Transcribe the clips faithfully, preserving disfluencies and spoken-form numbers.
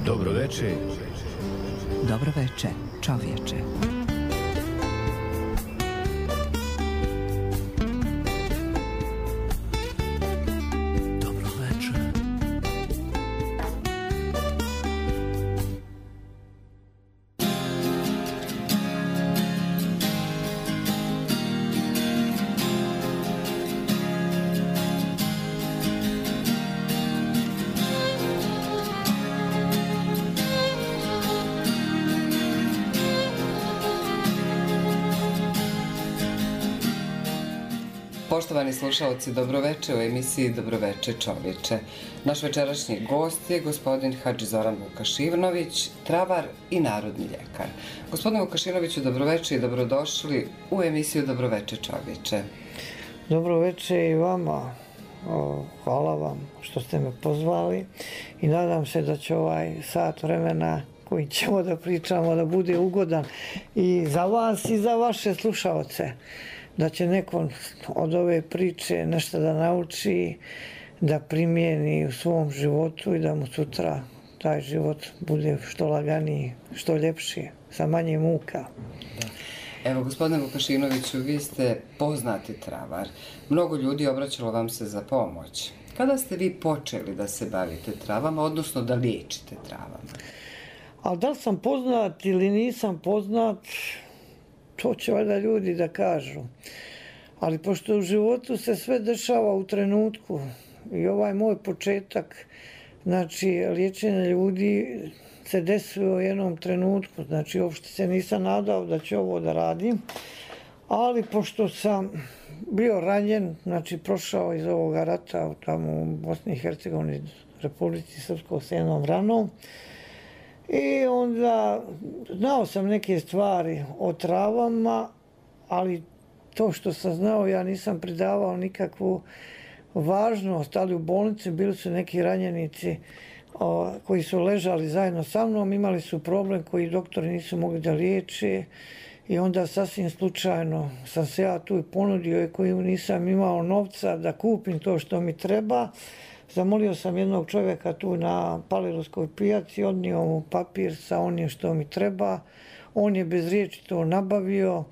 Dobro veče. Dobro veče, čovječe. Dobro veče. Poštovani slušalci, dobroveče u emisiji Dobroveče čovječe. Naš večerašnji gost je gospodin Hadži Zoran Vukašinović, travar i narodni ljekar. Gospodine Vukašinoviću, dobroveče i dobrodošli u emisiju Dobroveče čovječe. Dobroveče i vama. Hvala vam što ste me pozvali i nadam se da će ovaj sat vremena koji ćemo da pričamo da bude ugodan i za vas i za vaše slušaoce. Da će neko od ove priče nešto da nauči, da primijeni u svom životu i da mu sutra taj život bude što laganiji, što ljepši, sa manje muka. Evo, gospodine Vukašinoviću, vi ste poznati travar. Mnogo ljudi obraćalo vam se za pomoć. Kada ste vi počeli da se bavite travama, odnosno da liječite travama? Ali da li sam poznat ili nisam poznat, to će valjda ljudi da kažu. Ali pošto u životu se sve dešava u trenutku i ovaj moj početak, znači liječenje ljudi se desilo u jednom trenutku, znači uopšte se nisam nadao da ću ovo da radim, ali pošto sam bio ranjen, znači prošao iz ovoga rata tamo u Bosni i Hercegovini, Republici Srpskoj s jednom ranom, i onda znao sam neke stvari o travama, ali to što sam znao ja nisam pridavao nikakvu važnost, ali u bolnici bili su neki ranjenici o, koji su ležali zajedno sa mnom, imali su problem koji doktori nisu mogli da liječe i onda sasvim slučajno sam se ja tu ponudio i koji nisam imao novca da kupim to što mi treba. Zamolio sam jednog čovjeka tu na Palirovskoj pijaci, odnio mu papir sa onim što mi treba. On je bez riječi to nabavio,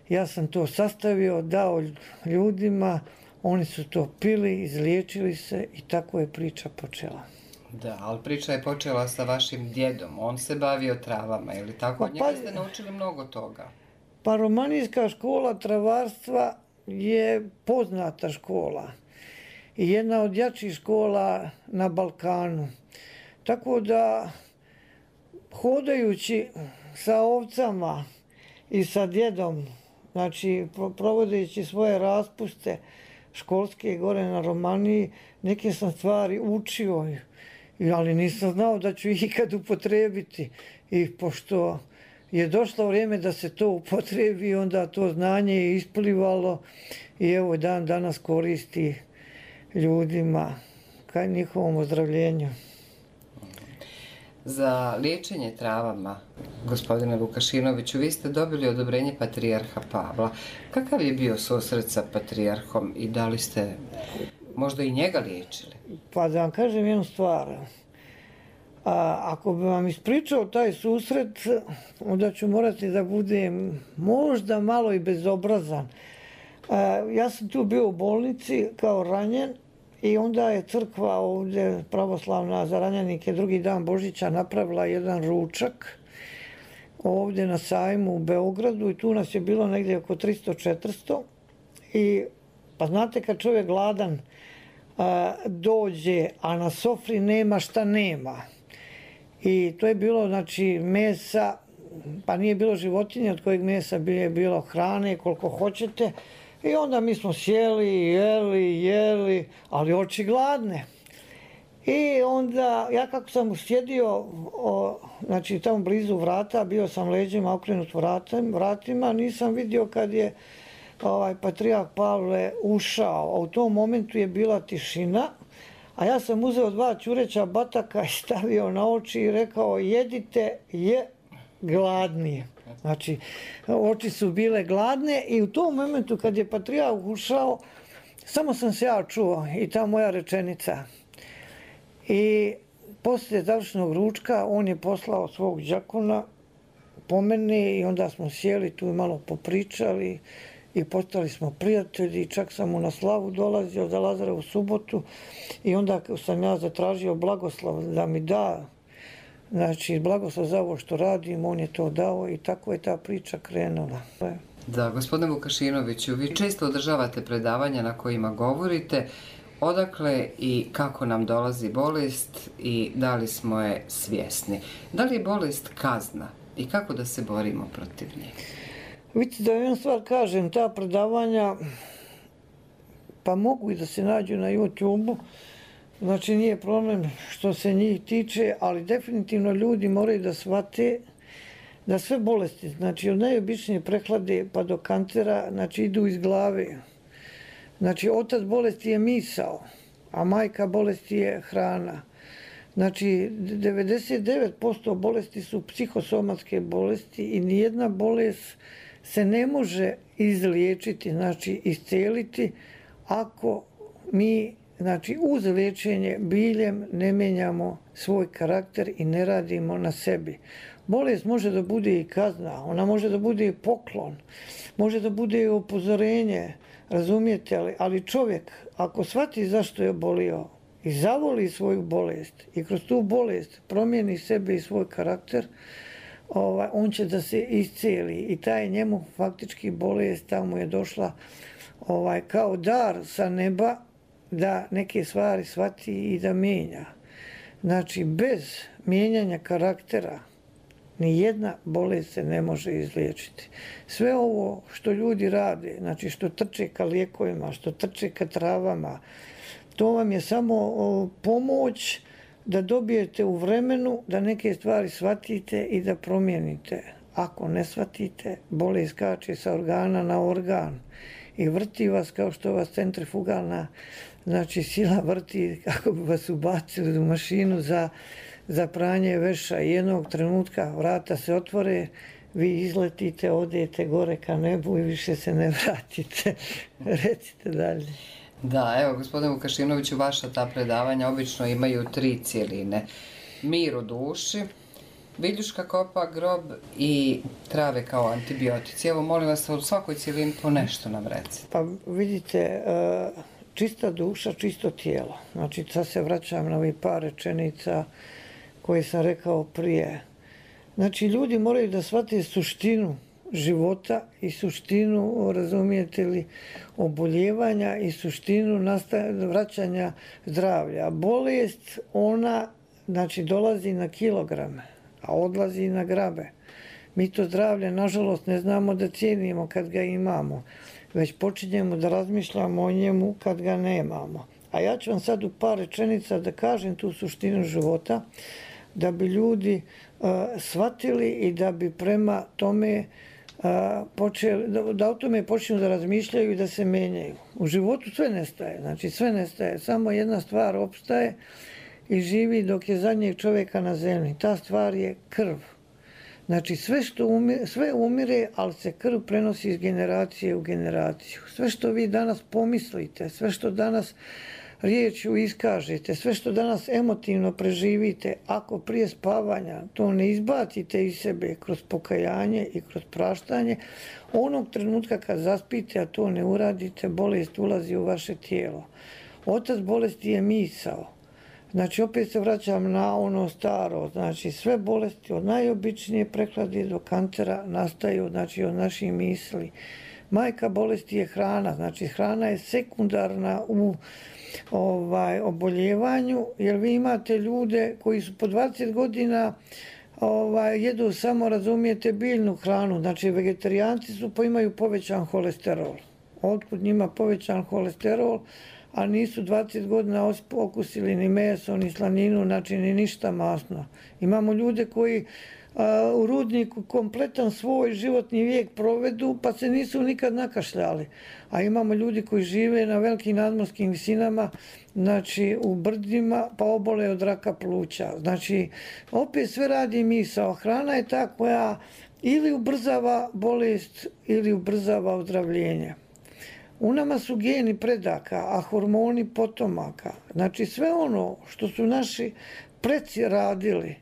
ja sam to sastavio, dao ljudima, oni su to pili, izliječili se i tako je priča počela. Da, ali priča je počela sa vašim djedom, on se bavio travama, ili tako? Od njega Pa, ste naučili mnogo toga. Pa romanijska škola travarstva je poznata škola i jedna od jačih škola na Balkanu. Tako da, hodajući sa ovcama i sa djedom, znači provodeći svoje raspuste školske gore na Romaniji, neke sam stvari učio, ali nisam znao da ću ih ikad upotrebiti. I pošto je došlo vrijeme da se to upotrebi, onda to znanje je isplivalo i evo dan danas koristi ljudima ka njihovom ozdravljenju. Za liječenje travama, gospodine Vukašinoviću, vi ste dobili odobrenje Patrijarha Pavla. Kakav je bio susret sa Patrijarhom i da li ste možda i njega liječili? Pa da vam kažem jednu stvar. A, ako bi vam ispričao taj susret, onda ću morati da budem možda malo i bezobrazan. A, ja sam tu bio u bolnici kao ranjen i onda je crkva ovdje pravoslavna za ranjenike drugi dan Božića napravila jedan ručak ovdje na sajmu u Beogradu i tu nas je bilo negdje oko tristo četiristo i pa znate kad čovjek gladan a, dođe, a na sofri nema šta nema. I to je bilo, znači, mesa, pa nije bilo životinje od kojeg mesa je bilo hrane koliko hoćete. I onda mi smo sjeli, jeli, jeli, ali oči gladne. I onda, ja kako sam sjedio, o, znači tamo blizu vrata, bio sam leđima okrenut vratem, vratima, nisam vidio kad je ovaj, Patrijarh Pavle ušao. A u tom momentu je bila tišina, a ja sam uzeo dva ćureća bataka i stavio na oči i rekao jedite je gladnije. Znači, oči su bile gladne i u tom momentu kad je Patrijarh ušao, samo sam se ja čuo i ta moja rečenica. I Poslije završenog ručka on je poslao svog đakona po mene i onda smo sjeli tu i malo popričali i postali smo prijatelji. Čak sam mu na slavu dolazio za Lazarevu subotu i onda sam ja zatražio blagoslov da mi da, znači blagoslov za ovo što radim, on je to dao i tako je ta priča krenula. Da, gospodine Vukašinoviću, vi često održavate predavanja na kojima govorite odakle i kako nam dolazi bolest i da li smo je svjesni. Da li je bolest kazna i kako da se borimo protiv nje? Vidite da jednu stvar kažem, ta predavanja pa mogu i da se nađu na YouTube-u, znači nije problem što se njih tiče, ali definitivno ljudi moraju da shvate da sve bolesti, znači od najobičnije prehlade pa do kancera, znači idu iz glave. Znači otac bolesti je misao, a majka bolesti je hrana. Znači devedeset devet posto bolesti su psihosomatske bolesti i nijedna bolest se ne može izliječiti, znači isceliti ako mi znači uz liječenje biljem ne mijenjamo svoj karakter i ne radimo na sebi. Bolest može da bude i kazna, ona može da bude i poklon, može da bude i upozorenje, razumijete li? Ali čovjek ako shvati zašto je bolio i zavoli svoju bolest i kroz tu bolest promijeni sebe i svoj karakter, ovaj, on će da se iscijeli i taj njemu faktički bolest tamo je došla ovaj, kao dar sa neba da neke stvari shvati i da mijenja. Znači bez mijenjanja karaktera ni jedna bolest se ne može izliječiti. Sve ovo što ljudi rade, znači što trče ka lijekovima, što trče ka travama, to vam je samo pomoć da dobijete u vremenu da neke stvari shvatite i da promijenite. Ako ne shvatite, bolest skače sa organa na organ i vrti vas kao što vas centrifugalna znači sila vrti kako bi vas ubacili u mašinu za, za pranje veša. I jednog trenutka vrata se otvore, vi izletite, odete gore ka nebu i više se ne vratite. Recite dalje. Da, evo, gospodine Vukašinoviću, vaša ta predavanja obično imaju tri cijeline. Mir u duši, viljuška kopa grob i trave kao antibiotici. Evo, molim vas, u svakoj cijelini po nešto nam recite. Pa vidite, čista duša, čisto tijelo. Znači, sad se vraćam na ovih par rečenica koje sam rekao prije. Znači, ljudi moraju da shvate suštinu života i suštinu, razumijete li, oboljevanja i suštinu vraćanja zdravlja. Bolest, ona, znači, dolazi na kilograme, a odlazi na grabe. Mi to zdravlje, nažalost, ne znamo da cijenimo kad ga imamo, već počinjemo da razmišljamo o njemu kad ga nemamo. A ja ću vam sad u par rečenica da kažem tu suštinu života, da bi ljudi uh, shvatili i da bi prema tome uh, počeli, da, da o tome počnu da razmišljaju i da se menjaju. U životu sve nestaje, znači sve nestaje, samo jedna stvar opstaje i živi dok je zadnjeg čovjeka na zemlji. Ta stvar je krv. Znači sve što umire, sve umire, ali se krv prenosi iz generacije u generaciju. Sve što vi danas pomislite, sve što danas riječju iskažete, sve što danas emotivno preživite, ako prije spavanja to ne izbacite iz sebe kroz pokajanje i kroz praštanje, onog trenutka kad zaspite, a to ne uradite, bolest ulazi u vaše tijelo. Otac bolesti je misao. Znači, opet se vraćam na ono staro, znači sve bolesti od najobičnije prehlade do kancera nastaju, znači, od naših misli. Majka bolesti je hrana, znači hrana je sekundarna u ovaj, oboljevanju, jer vi imate ljude koji su po dvadeset godina ovaj, jedu samo, razumijete, biljnu hranu, znači vegetarijanci su pa imaju povećan holesterol. Otkud njima povećan holesterol, a nisu dvadeset godina okusili ni meso, ni slaninu, znači ni ništa masno. Imamo ljude koji a, u rudniku kompletan svoj životni vijek provedu, pa se nisu nikad nakašljali. A imamo ljudi koji žive na velikim nadmorskim visinama, znači u brdima, pa obole od raka pluća. Znači, opet sve radi misao. Hrana je ta koja ili ubrzava bolest, ili ubrzava ozdravljenje. U nama su geni predaka, a hormoni potomaka. Znači sve ono što su naši preci radili,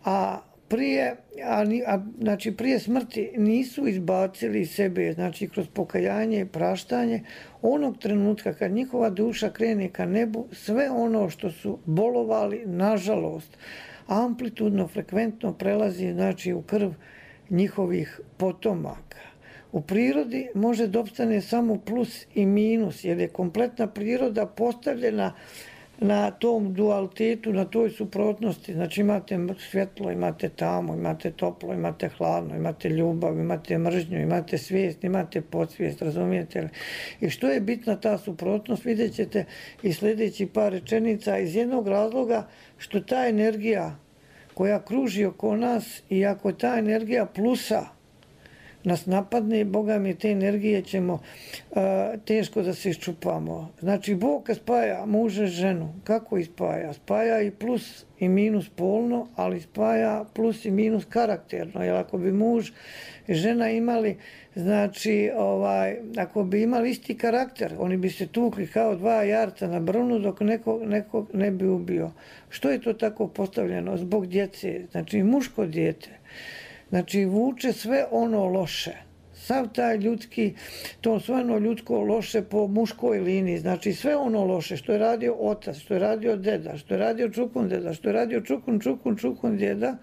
a prije, a, a, znači prije smrti nisu izbacili iz sebe, znači kroz pokajanje i praštanje, onog trenutka kad njihova duša krene ka nebu, sve ono što su bolovali, nažalost, amplitudno, frekventno prelazi znači u krv njihovih potomaka. U prirodi može da opstane samo plus i minus, jer je kompletna priroda postavljena na tom dualitetu, na toj suprotnosti. Znači imate svjetlo, imate tamo, imate toplo, imate hladno, imate ljubav, imate mržnju, imate svijest, imate podsvijest, razumijete li? I što je bitna ta suprotnost, vidjet ćete i sljedeći par rečenica iz jednog razloga što ta energija koja kruži oko nas i ako ta energija plusa nas napadne, Boga mi te energije ćemo uh, teško da se iščupamo. Znači, Bog kad spaja muža i ženu, kako ih spaja? Spaja i plus i minus polno, ali spaja plus i minus karakterno. Jer ako bi muž i žena imali, znači, ovaj, ako bi imali isti karakter, oni bi se tukli kao dva jarca na brvnu dok nekog, nekog ne bi ubio. Što je to tako postavljeno? Zbog djece. Znači, muško dijete. Znači, vuče sve ono loše. Sav taj ljudski, to sve ono ljudsko loše po muškoj liniji. Znači, sve ono loše što je radio otac, što je radio deda, što je radio čukun deda, što je radio čukun, čukun, čukun djeda,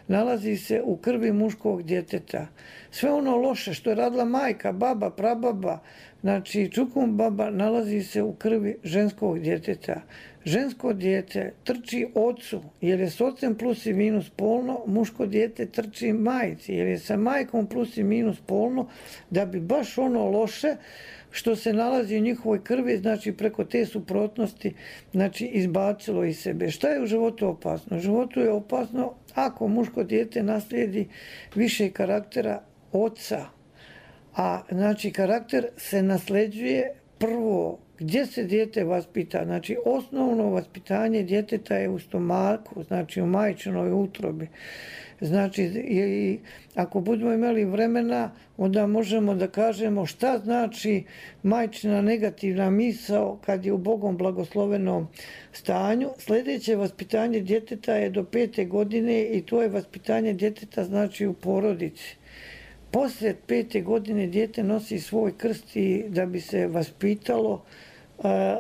nalazi se u krvi muškog djeteta. Sve ono loše što je radila majka, baba, prababa, znači čukun baba, nalazi se u krvi ženskog djeteta. Žensko dijete trči ocu jer je s ocem plus i minus polno, muško dijete trči majci jer je sa majkom plus i minus polno, da bi baš ono loše što se nalazi u njihovoj krvi, znači preko te suprotnosti, znači izbacilo iz sebe. Šta je u životu opasno? U životu je opasno ako muško dijete naslijedi više karaktera oca, a znači karakter se nasljeđuje prvo gdje se dijete vaspita. Znači osnovno vaspitanje djeteta je u stomaku, znači u majčinoj utrobi. Znači, i ako budemo imali vremena, onda možemo da kažemo šta znači majčina negativna misao kad je u Bogom blagoslovenom stanju. Sljedeće vaspitanje djeteta je do pete godine i to je vaspitanje djeteta znači u porodici. Poslije pete godine dijete nosi svoj krst i da bi se vaspitalo,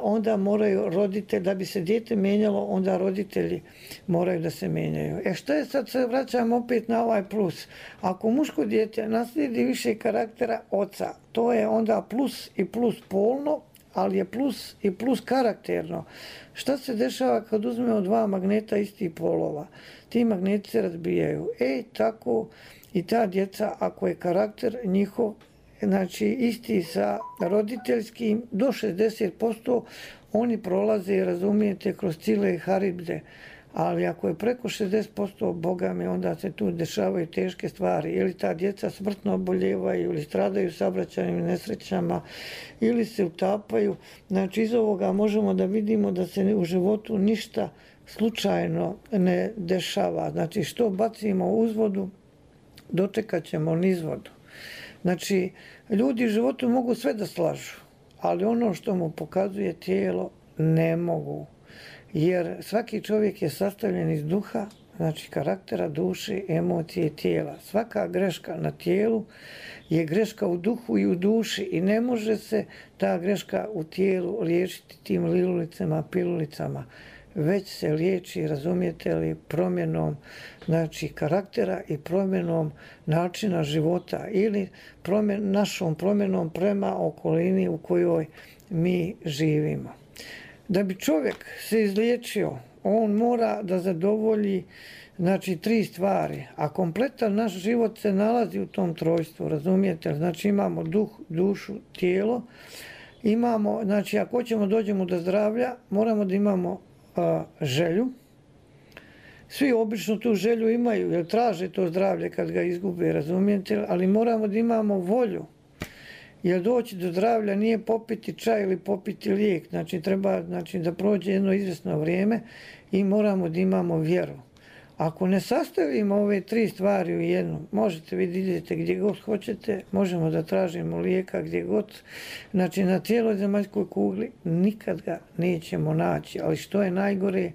onda moraju roditelji, da bi se dijete mijenjalo, onda roditelji moraju da se mijenjaju. E što je sad, se vraćam opet na ovaj plus. Ako muško dijete naslijedi više karaktera oca, to je onda plus i plus polno, ali je plus i plus karakterno. Šta se dešava kad uzmemo dva magneta istih polova? Ti magneti se razbijaju. E, tako i ta djeca, ako je karakter njihov, znači isti sa roditeljskim, do šezdeset posto oni prolaze, razumijete, kroz cijele haribde. Ali ako je preko šezdeset posto, Boga mi, onda se tu dešavaju teške stvari. Ili ta djeca smrtno oboljevaju, ili stradaju saobraćajnim nesrećama, ili se utapaju. Znači iz ovoga možemo da vidimo da se u životu ništa slučajno ne dešava. Znači što bacimo u uzvodu, dočekat ćemo nizvodu. Znači, ljudi u životu mogu sve da slažu, ali ono što mu pokazuje tijelo ne mogu. Jer svaki čovjek je sastavljen iz duha, znači karaktera, duše, emocije i tijela. Svaka greška na tijelu je greška u duhu i u duši i ne može se ta greška u tijelu liječiti tim lilulicama, pilulicama. Već se liječi, razumijete li, promjenom znači, karaktera i promjenom načina života ili promjen, našom promjenom prema okolini u kojoj mi živimo. Da bi čovjek se izliječio, on mora da zadovolji znači, tri stvari, a kompletan naš život se nalazi u tom trojstvu, razumijete? Znači imamo duh, dušu, tijelo, imamo, znači ako hoćemo dođemo do zdravlja, moramo da imamo a, želju. Svi obično tu želju imaju, jer traže to zdravlje kad ga izgube, razumijete? Ali moramo da imamo volju. Jer doći do zdravlja nije popiti čaj ili popiti lijek. Znači treba znači, da prođe jedno izvjesno vrijeme i moramo da imamo vjeru. Ako ne sastavimo ove tri stvari u jednu, možete vi da idete gdje god hoćete, možemo da tražimo lijeka gdje god, znači na cijeloj zemaljskoj kugli nikad ga nećemo naći, ali što je najgore,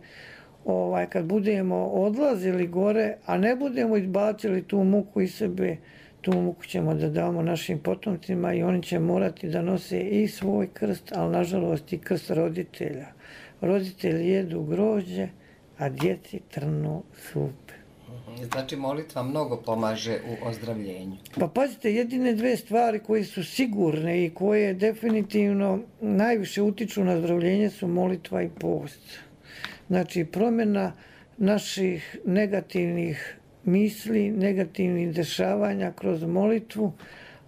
ovaj, kad budemo odlazili gore, a ne budemo izbacili tu muku iz sebe, tu muku ćemo da damo našim potomcima i oni će morati da nose i svoj krst, ali nažalost i krst roditelja. Roditelji jedu grožđe, a djeci trnu supe. Znači molitva mnogo pomaže u ozdravljenju. Pa pazite, jedine dve stvari koje su sigurne i koje definitivno najviše utiču na ozdravljenje su molitva i post. Znači promjena naših negativnih misli, negativnih dešavanja kroz molitvu,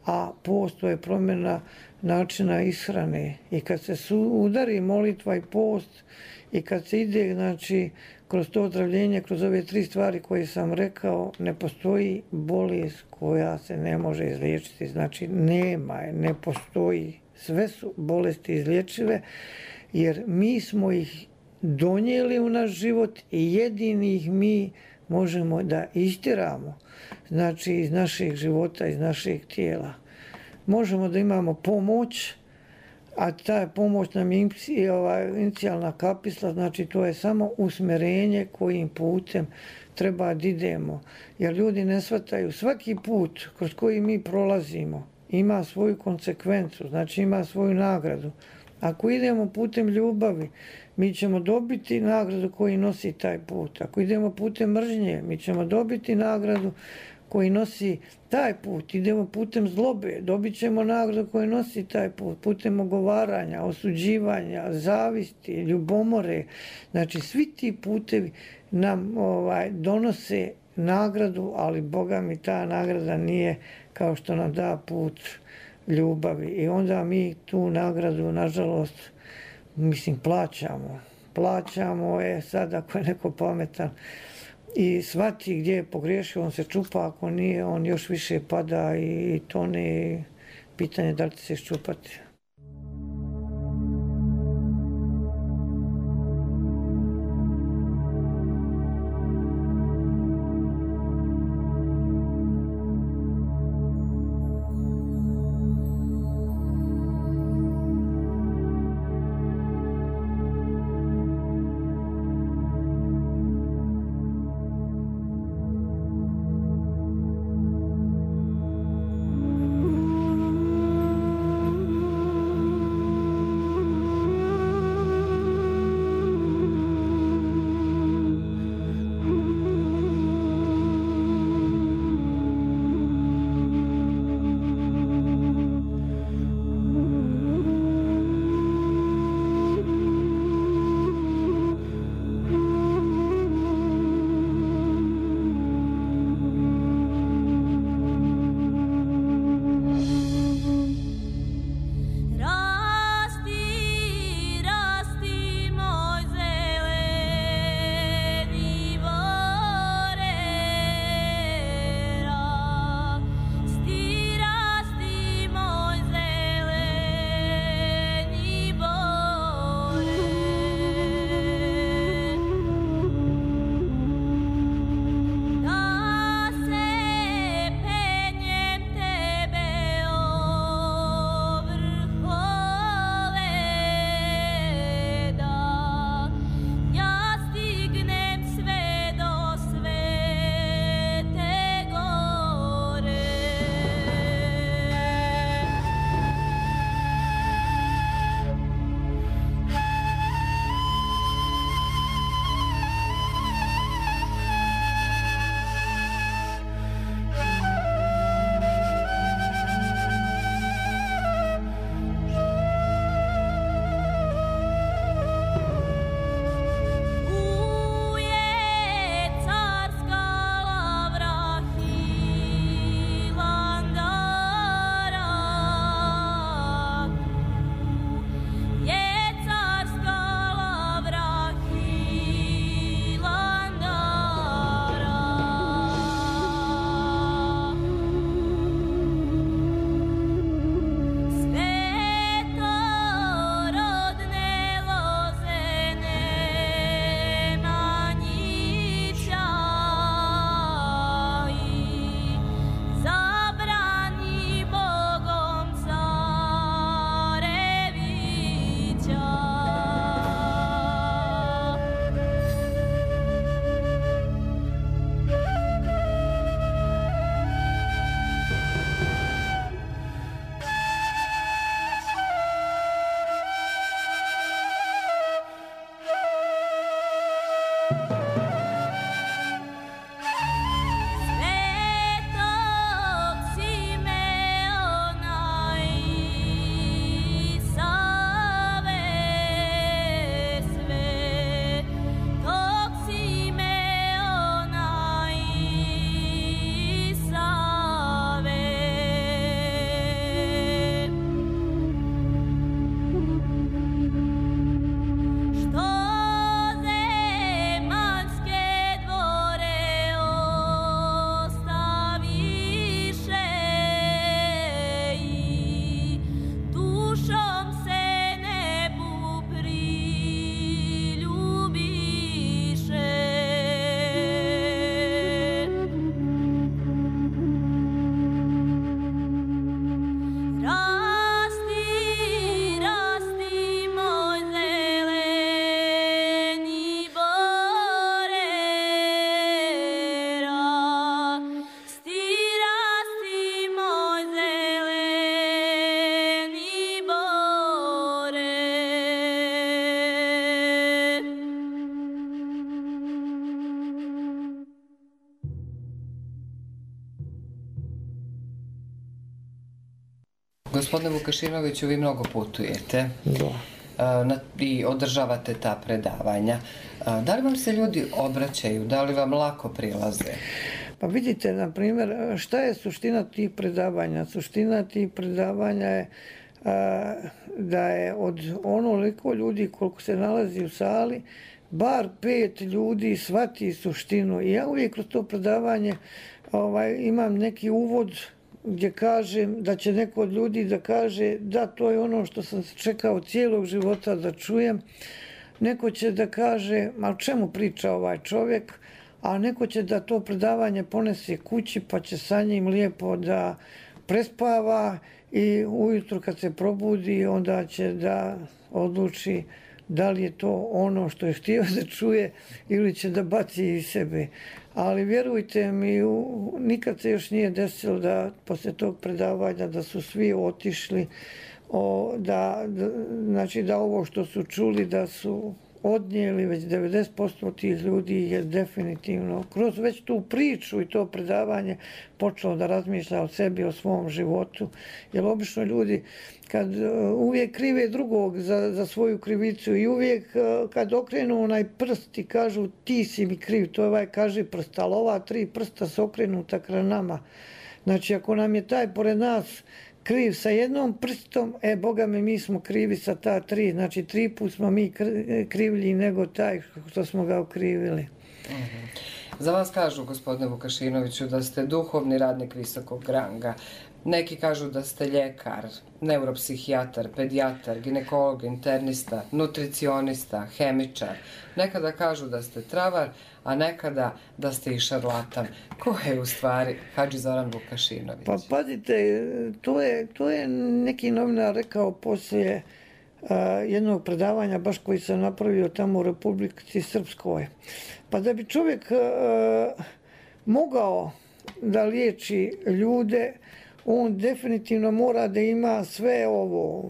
a post to je promjena načina ishrane. I kad se su udari molitva i post i kad se ide, znači, kroz to ozdravljenje, kroz ove tri stvari koje sam rekao, ne postoji bolest koja se ne može izliječiti. Znači, nema je, ne postoji. Sve su bolesti izlječive, jer mi smo ih donijeli u naš život i jedini ih mi možemo da istjeramo, znači iz našeg života, iz našeg tijela. Možemo da imamo pomoć, a ta pomoć nam je inicijalna kapisla, znači to je samo usmjerenje kojim putem treba da idemo. Jer ljudi ne shvataju, svaki put kroz koji mi prolazimo ima svoju konsekvencu, znači ima svoju nagradu. Ako idemo putem ljubavi, mi ćemo dobiti nagradu koji nosi taj put. Ako idemo putem mržnje, mi ćemo dobiti nagradu koji nosi taj put. Idemo putem zlobe, dobit ćemo nagradu koji nosi taj put. Putem ogovaranja, osuđivanja, zavisti, ljubomore. Znači, svi ti putevi nam ovaj, donose nagradu, ali Boga mi ta nagrada nije kao što nam da put ljubavi. I onda mi tu nagradu, nažalost, mislim, plaćamo. Plaćamo je sad, ako je neko pametan i shvati gdje je pogriješio, on se čupa, ako nije, on još više pada i tone. Pitanje da li će se iščupati. Gospodine Vukašinoviću, vi mnogo putujete. Da. A, na- i održavate ta predavanja. A, Da li vam se ljudi obraćaju? Da li vam lako prilaze? Pa vidite, na primjer, šta je suština tih predavanja? Suština tih predavanja je a, da je od onoliko ljudi koliko se nalazi u sali, bar pet ljudi shvati suštinu. I ja uvijek kroz to predavanje ovaj, imam neki uvod gdje kažem da će neko od ljudi da kaže da to je ono što sam čekao cijelog života da čujem. Neko će da kaže, ma o čemu priča ovaj čovjek, a neko će da to predavanje ponese kući pa će sa njim lijepo da prespava i ujutro kad se probudi onda će da odluči da li je to ono što je htio da čuje ili će da baci iz sebe. Ali vjerujte mi, u- nikad se još nije desilo da poslije tog predavanja da su svi otišli, o, da, da, znači da ovo što su čuli da su odnijeli, već devedeset posto tih ljudi je definitivno kroz već tu priču i to predavanje počelo da razmišlja o sebi, o svom životu. Jer obično ljudi kad uh, uvijek krive drugog za, za svoju krivicu i uvijek uh, kad okrenu onaj prst i kažu ti si mi kriv, to je ovaj kaži prst, ali ova tri prsta su okrenuta kraj nama. Znači ako nam je taj pored nas kriv sa jednom prstom, e, Boga mi, mi smo krivi sa ta tri. Znači, tri put smo mi kr- krivlji nego taj što smo ga okrivili. Za vas kažu, gospodine Vukašinoviću, da ste duhovni radnik visokog ranga. Neki kažu da ste ljekar, neuropsihijatar, pedijatar, ginekolog, internista, nutricionista, hemičar. Nekada kažu da ste travar, a nekada da ste i šarlatan. Ko je u stvari Hadži Zoran Vukašinović? Pa pazite, to je, to je neki novinar rekao poslije a, jednog predavanja, baš koji sam napravio tamo u Republici Srpskoj. Pa da bi čovjek a, mogao da liječi ljude, on definitivno mora da ima sve ovo,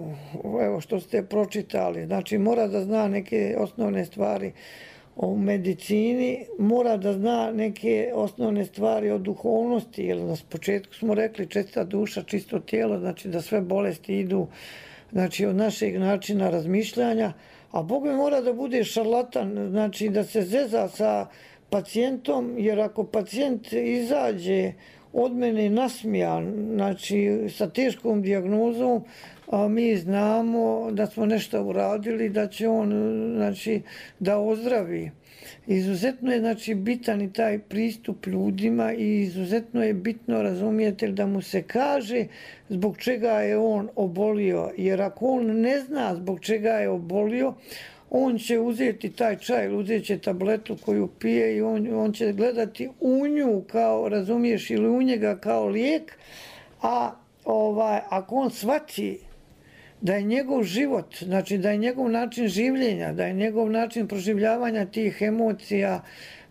evo što ste pročitali. Znači mora da zna neke osnovne stvari o medicini, mora da zna neke osnovne stvari o duhovnosti, jer na početku smo rekli čista duša, čisto tijelo, znači da sve bolesti idu znači, od našeg načina razmišljanja, a Bog mi mora da bude šarlatan, znači da se zeza sa pacijentom, jer ako pacijent izađe od mene nasmijan, znači sa teškom dijagnozom, a mi znamo da smo nešto uradili, da će on znači, da ozdravi. Izuzetno je znači, bitan i taj pristup ljudima i izuzetno je bitno razumijete da mu se kaže zbog čega je on obolio. Jer ako on ne zna zbog čega je obolio, on će uzeti taj čaj, uzet će tabletu koju pije i on, on će gledati u nju kao, razumiješ, ili u njega kao lijek, a ovaj, ako on shvati da je njegov život, znači da je njegov način življenja, da je njegov način proživljavanja tih emocija,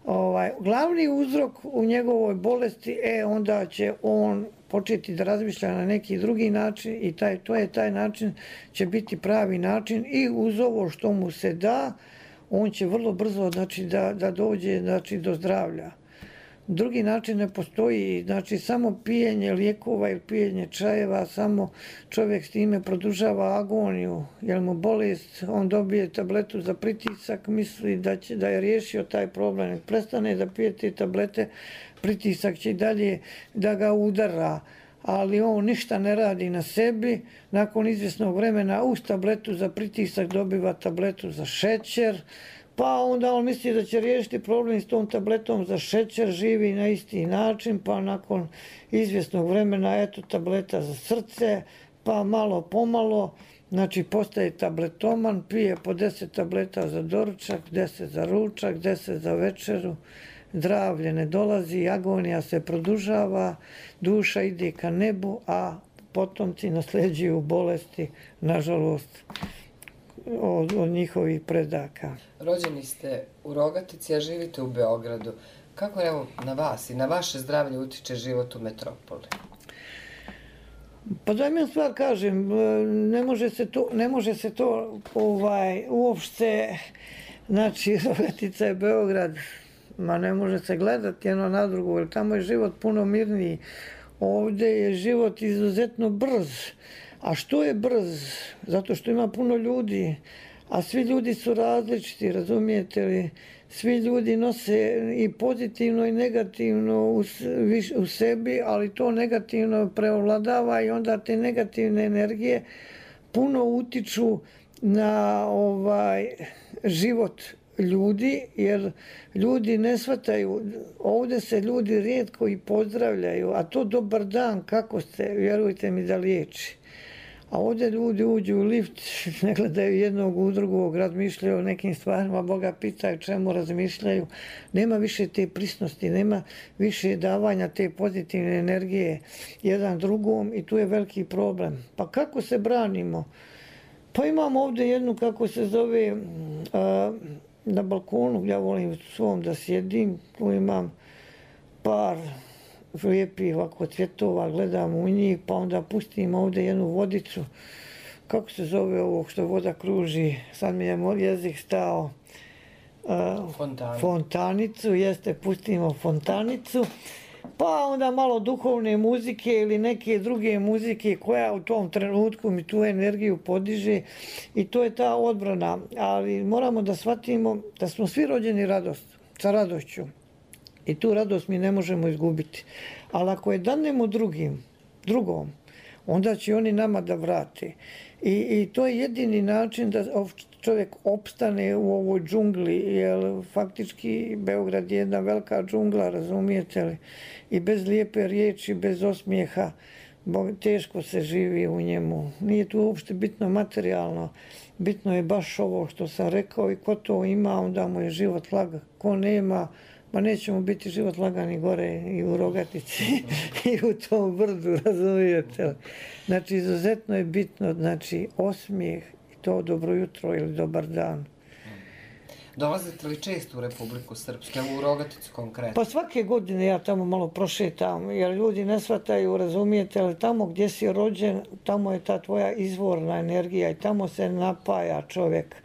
ovaj, glavni uzrok u njegovoj bolesti, e, onda će on početi da razmišlja na neki drugi način i taj, to je taj način će biti pravi način i uz ovo što mu se da, on će vrlo brzo znači, da, da dođe znači, do zdravlja. Drugi način ne postoji, znači samo pijenje lijekova ili pijenje čajeva, samo čovjek s time produžava agoniju, jer mu bolest, on dobije tabletu za pritisak, misli da, će, da je riješio taj problem. Nek prestane da pije te tablete, pritisak će i dalje da ga udara, ali on ništa ne radi na sebi. Nakon izvjesnog vremena uz tabletu za pritisak dobiva tabletu za šećer, pa onda on misli da će riješiti problem s tom tabletom za šećer, živi na isti način, pa nakon izvjesnog vremena eto tableta za srce, pa malo pomalo, znači postaje tabletoman, pije po deset tableta za doručak, deset za ručak, deset za večeru, zdravlje ne dolazi, agonija se produžava, duša ide ka nebu, a potomci nasljeđuju bolesti, nažalost, od, od njihovih predaka. Rođeni ste u Rogatici, a živite u Beogradu. Kako evo na vas i na vaše zdravlje utiče život u metropoli? Pa da mi stvar kažem, ne može se to, ne može se to ovaj, uopšte, znači Rogatica je Beograd, ma ne može se gledati jedno na drugo, jer tamo je život puno mirniji. Ovdje je život izuzetno brz, A što je brz? Zato što ima puno ljudi, a svi ljudi su različiti, razumijete li? Svi ljudi nose i pozitivno i negativno u, u sebi, ali to negativno preovladava i onda te negativne energije puno utiču na ovaj život ljudi, jer ljudi ne shvataju, ovdje se ljudi rijetko i pozdravljaju, a to dobar dan, kako ste, vjerujte mi da liječi. A ovdje ljudi uđu u lift, ne gledaju jednog u drugog, razmišljaju o nekim stvarima, Boga pitaju čemu razmišljaju. Nema više te prisnosti, nema više davanja te pozitivne energije jedan drugom i tu je veliki problem. Pa kako se branimo? Pa imamo ovdje jednu, kako se zove, a, na balkonu, ja volim svom da sjedim, tu imam par lijepih ovako cvjetova, gledam u njih, pa onda pustim ovdje jednu vodicu, kako se zove ovo što voda kruži, sad mi je moj jezik stao, uh, Fontanu. fontanicu, jeste, pustimo fontanicu, pa onda malo duhovne muzike ili neke druge muzike koja u tom trenutku mi tu energiju podiže i to je ta odbrana, ali moramo da shvatimo da smo svi rođeni radost, sa radošću. I tu radost mi ne možemo izgubiti. Ali ako je danemo drugim, drugom, onda će oni nama da vrate. I, i to je jedini način da čovjek opstane u ovoj džungli, jer faktički Beograd je jedna velika džungla, razumijete li? I bez lijepe riječi, bez osmijeha, teško se živi u njemu. Nije tu uopšte bitno materijalno, bitno je baš ovo što sam rekao i ko to ima, onda mu je život lagak. Ko nema, ma neće mu biti život lagani gore i u Rogatici i u tom brdu, razumijete li? Znači, izuzetno je bitno, znači, osmijeh i to dobro jutro ili dobar dan. Dolazite li često u Republiku Srpsku, u Rogaticu konkretno? Pa svake godine ja tamo malo prošetam, jer ljudi ne shvataju, razumijete li, tamo gdje si rođen, tamo je ta tvoja izvorna energija i tamo se napaja čovjek.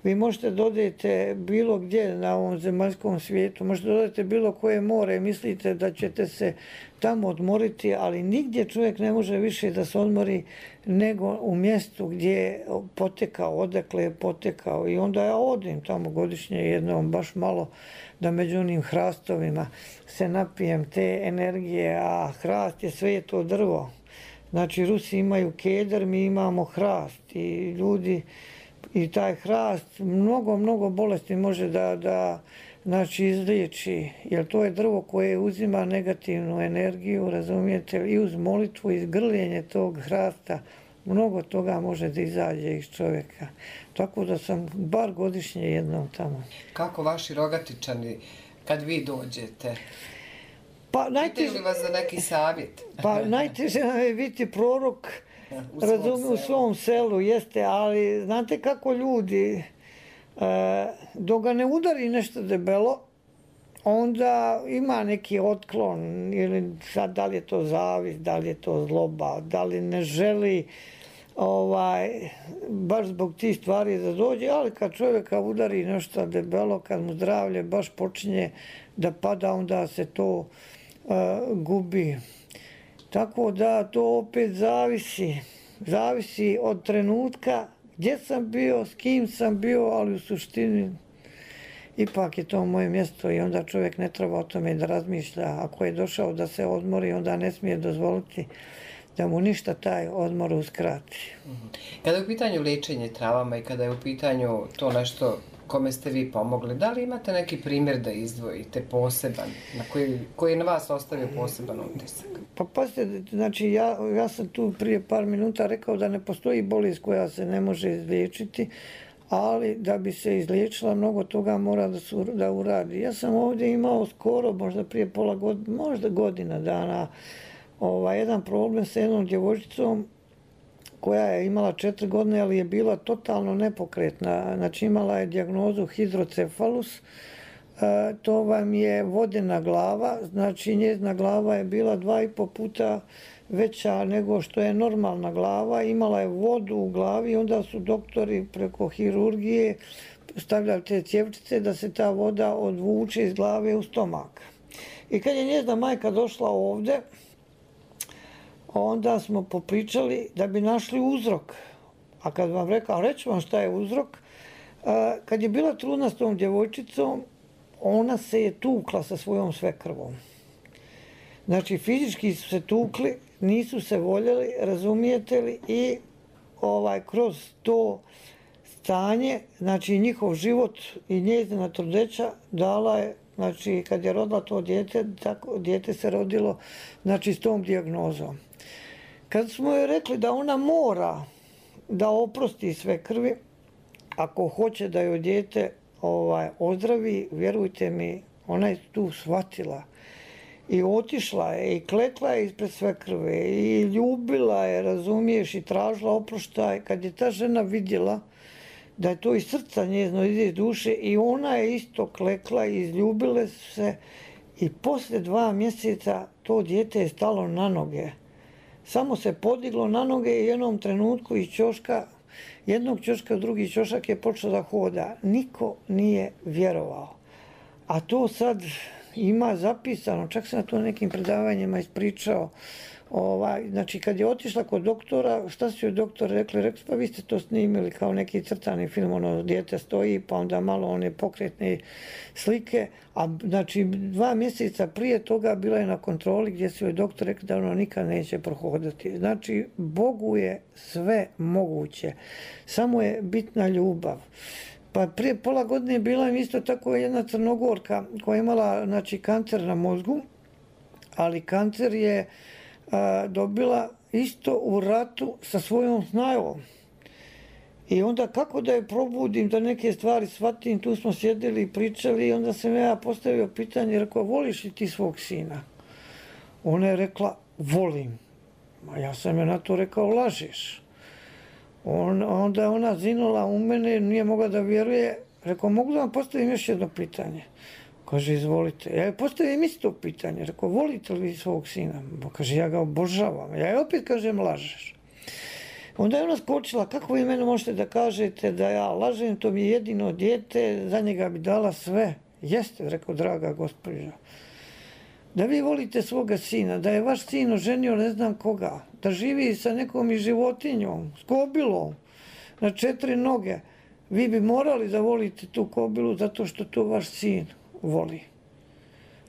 Vi možete dodajete bilo gdje na ovom zemaljskom svijetu, možete dodajete bilo koje more, mislite da ćete se tamo odmoriti, ali nigdje čovjek ne može više da se odmori nego u mjestu gdje je potekao, odakle je potekao. I onda ja odim tamo godišnje jednom, baš malo da među onim hrastovima se napijem te energije, a hrast je sve je to drvo. Znači Rusi imaju keder, mi imamo hrast i ljudi i taj hrast mnogo, mnogo bolesti može da, da znači, izliječi, jer to je drvo koje uzima negativnu energiju, razumijete, i uz molitvu, i grljenje tog hrasta, mnogo toga može da izađe iz čovjeka. Tako da sam bar godišnje jednom tamo. Kako vaši Rogatičani, kad vi dođete, pa, najteže, pitaju li vas za neki savjet? Pa najteže nam je biti prorok, u razumiju, u svom selu, jeste, ali znate kako ljudi, e, dok ga ne udari nešto debelo, onda ima neki otklon, ili sad da li je to zavis, da li je to zloba, da li ne želi ovaj, baš zbog tih stvari da dođe, ali kad čovjeka udari nešto debelo, kad mu zdravlje baš počinje da pada, onda se to e, gubi. Tako da to opet zavisi, zavisi od trenutka gdje sam bio, s kim sam bio, ali u suštini ipak je to moje mjesto i onda čovjek ne treba o tome da razmišlja. Ako je došao da se odmori, onda ne smije dozvoliti da mu ništa taj odmor uskrati. Kada je u pitanju liječenje travama i kada je u pitanju to nešto kome ste vi pomogli, da li imate neki primjer da izdvojite poseban, na koji, koji je na vas ostavio poseban utisak? Pa pazite, znači ja, ja sam tu prije par minuta rekao da ne postoji bolest koja se ne može izliječiti, ali da bi se izliječila mnogo toga mora da, su, da uradi. Ja sam ovdje imao skoro, možda prije pola godina, možda godina dana, ovaj, jedan problem sa jednom djevojčicom koja je imala četiri godine, ali je bila totalno nepokretna. Znači imala je dijagnozu hidrocefalus, e, to vam je vodena glava, znači njezina glava je bila dva i po puta veća nego što je normalna glava, imala je vodu u glavi, onda su doktori preko hirurgije stavljali te cjevčice da se ta voda odvuče iz glave u stomak. I kad je njezina majka došla ovdje, onda smo popričali da bi našli uzrok. A kad vam rekao, reći vam šta je uzrok, a, kad je bila trudna s tom djevojčicom, ona se je tukla sa svojom svekrvom. Znači, fizički su se tukli, nisu se voljeli, razumijete li, i ovaj, kroz to stanje, znači njihov život i njezina trudnoća dala je, znači kad je rodila to dijete, tako dijete se rodilo, znači s tom dijagnozom. Kad smo joj rekli da ona mora da oprosti sve krvi, ako hoće da joj dijete ovaj, ozdravi, vjerujte mi, ona je tu shvatila. I otišla je, i klekla je ispred sve krve, i ljubila je, razumiješ, i tražila oproštaj. Kad je ta žena vidjela da je to iz srca njezno, ide iz duše, i ona je isto klekla i izljubile se, i poslije dva mjeseca to dijete je stalo na noge. Samo se podiglo na noge i u jednom trenutku iz ćoška, jednog ćoška u drugi ćošak je počeo da hoda. Niko nije vjerovao. A to sad ima zapisano, čak sam na to nekim predavanjima ispričao. Ovaj, znači, kad je otišla kod doktora, šta su joj doktor rekli? Rekli, pa vi ste to snimili kao neki crtani film, ono, dijete stoji, pa onda malo one pokretne slike. A znači, dva mjeseca prije toga bila je na kontroli gdje su joj doktor rekli da ono nikad neće prohodati. Znači, Bogu je sve moguće. Samo je bitna ljubav. Pa prije pola godine bila je isto tako jedna Crnogorka koja je imala, znači, kancer na mozgu, ali kancer je a, dobila isto u ratu sa svojom snajom. I onda kako da je probudim, da neke stvari shvatim, tu smo sjedili i pričali, i onda sam ja postavio pitanje, rekao, voliš li ti svog sina? Ona je rekla, volim. A ja sam joj na to rekao, lažeš. On, onda je ona zinula u mene, nije mogla da vjeruje. Rekao, mogu da vam postavim još jedno pitanje? Kaže, izvolite. Ja joj postavim isto pitanje. Rekao, volite li vi svog sina? Bo, kaže, ja ga obožavam. Ja joj opet kažem, lažeš. Onda je ona skočila, kako vi mene možete da kažete da ja lažem, to mi je jedino dijete, za njega bi dala sve. Jeste, rekao, draga gospođa. Da vi volite svoga sina, da je vaš sin oženio ne znam koga, da živi sa nekom i životinjom, s kobilom, na četiri noge, vi bi morali da volite tu kobilu zato što to vaš sin voli.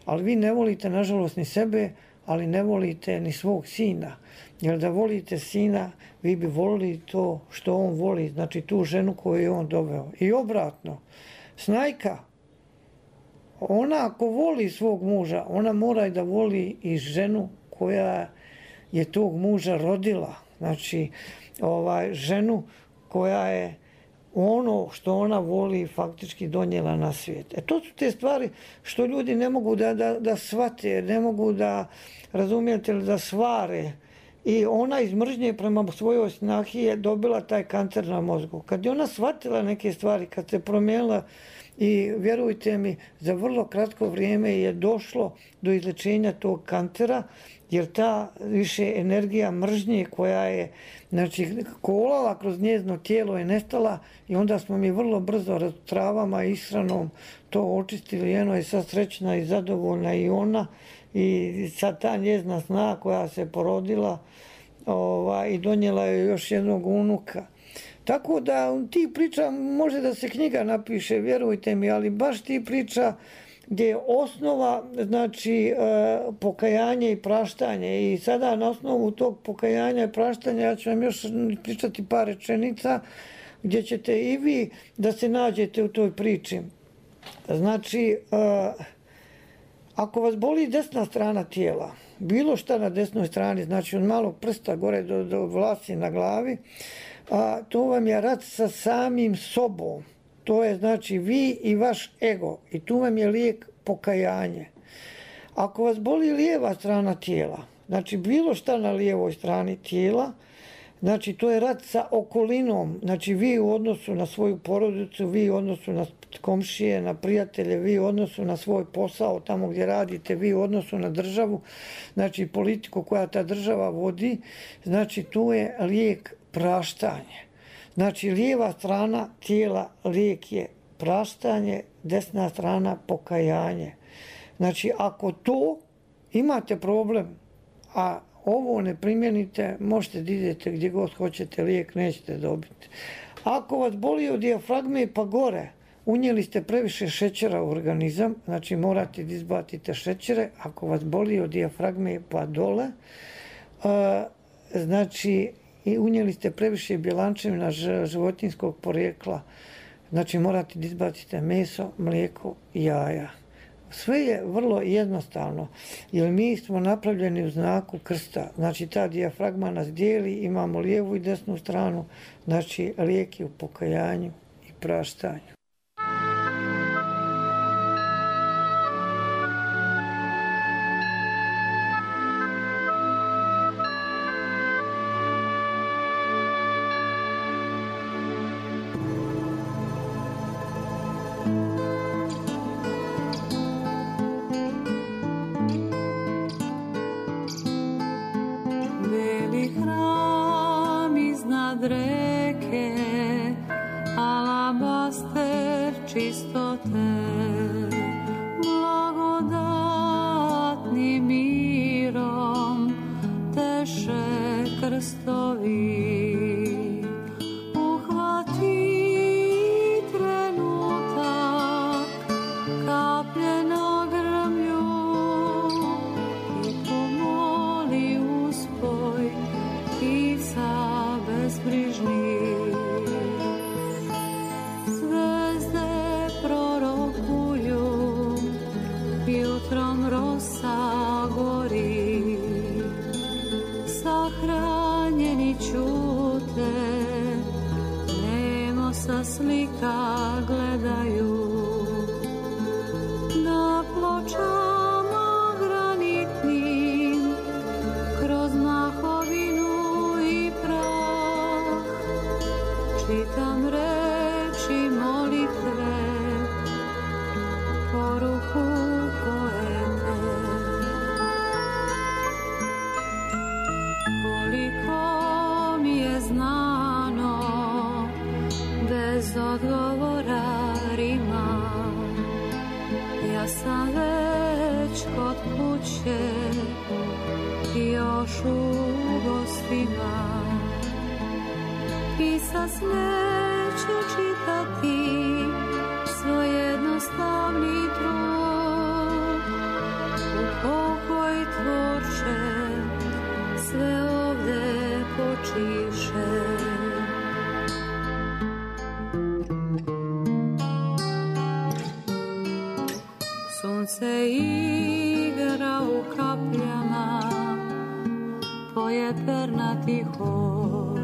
Ali vi ne volite, nažalost, ni sebe, ali ne volite ni svog sina. Jer da volite sina, vi bi volili to što on voli, znači tu ženu koju je on doveo. I obratno, snajka, ona ako voli svog muža, ona mora i da voli i ženu koja je tog muža rodila. Znači, ovaj, ženu koja je ono što ona voli faktički donijela na svijet. E to su te stvari što ljudi ne mogu da, da, da shvate, ne mogu da, razumijete li, da svare. I ona iz mržnje prema svojoj snahi je dobila taj kancer na mozgu. Kad je ona shvatila neke stvari, kad se promijenila, i vjerujte mi, za vrlo kratko vrijeme je došlo do izlečenja tog kancera, jer ta više energija mržnje koja je, znači, kolala kroz njezino tijelo je nestala, i onda smo mi vrlo brzo travama i ishranom to očistili. Eno je sad srećna i zadovoljna i ona, i sad ta njezina sna koja se porodila, ova, i donijela je još jednog unuka. Tako da ti priča, može da se knjiga napiše, vjerujte mi, ali baš ti priča gdje je osnova, znači, pokajanje i praštanje. I sada na osnovu tog pokajanja i praštanja ja ću vam još pričati par rečenica gdje ćete i vi da se nađete u toj priči. Znači, ako vas boli desna strana tijela, bilo šta na desnoj strani, znači od malog prsta gore do, do vlasi na glavi, a to vam je rat sa samim sobom. To je znači vi i vaš ego. I tu vam je lijek pokajanje. Ako vas boli lijeva strana tijela, znači bilo šta na lijevoj strani tijela, znači to je rat sa okolinom. Znači vi u odnosu na svoju porodicu, vi u odnosu na komšije, na prijatelje, vi u odnosu na svoj posao, tamo gdje radite, vi u odnosu na državu, znači politiku koja ta država vodi, znači tu je lijek praštanje. Znači, lijeva strana tijela lijek je praštanje, desna strana pokajanje. Znači, ako to imate problem, a ovo ne primijenite, možete da idete gdje god hoćete, lijek nećete dobiti. Ako vas boli od dijafragme pa gore, unijeli ste previše šećera u organizam, znači morate da izbacite šećere. Ako vas boli od dijafragme pa dole, znači i unijeli ste previše bjelančevina životinjskog porijekla, znači morate da izbacite meso, mlijeko i jaja. Sve je vrlo jednostavno, jer mi smo napravljeni u znaku krsta. Znači ta dijafragma nas dijeli, imamo lijevu i desnu stranu, znači lijek je u pokajanju i praštanju. Reke, alabaster čistote, blagodatnim mirom teše krstovi. Uhvati trenutak, kaplje na grmlju i pomoli uspoj pisa bezbrižni. Zvezde prorokuju, jutrom rosa gori, sahranjeni čute, nemo sa slika gledaju. Na pločama granitnim, kroz mahovinu i prah, čitam reči molitve, poruku poete. Koliko mi je znano, bez odgovora rima, ja sam već kod kuće, još u gostima. Pisac neće čitati svoj jednostavni trud. U pokoj tvorče sve ovde počiše. Sunce igra u kapljama, poje pernati hor,